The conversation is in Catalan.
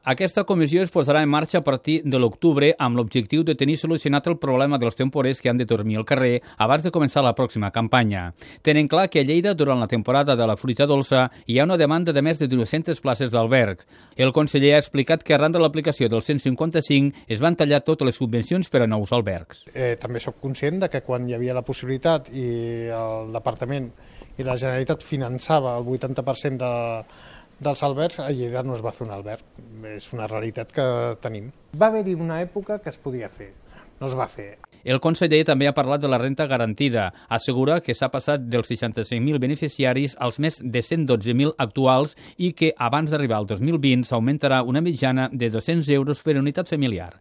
Aquesta comissió es posarà en marxa a partir de l'octubre amb l'objectiu de tenir solucionat el problema dels temporers que han de dormir al carrer abans de començar la pròxima campanya. Tenen clar que a Lleida, durant la temporada de la fruita dolça, hi ha una demanda de més de 200 places d'alberg. El conseller ha explicat que arran de l'aplicació del 155 es van tallar totes les subvencions per a nous albergs. També soc conscient de que quan hi havia la possibilitat i el Departament i la Generalitat finançava el 80% dels albergs, a Lleida no es va fer un alberg. És una realitat que tenim. Va haver-hi una època que es podia fer, no es va fer. El conseller també ha parlat de la renda garantida. Assegura que s'ha passat dels 65.000 beneficiaris als més de 112.000 actuals i que abans d'arribar al 2020 s'augmentarà una mitjana de 200 euros per unitat familiar.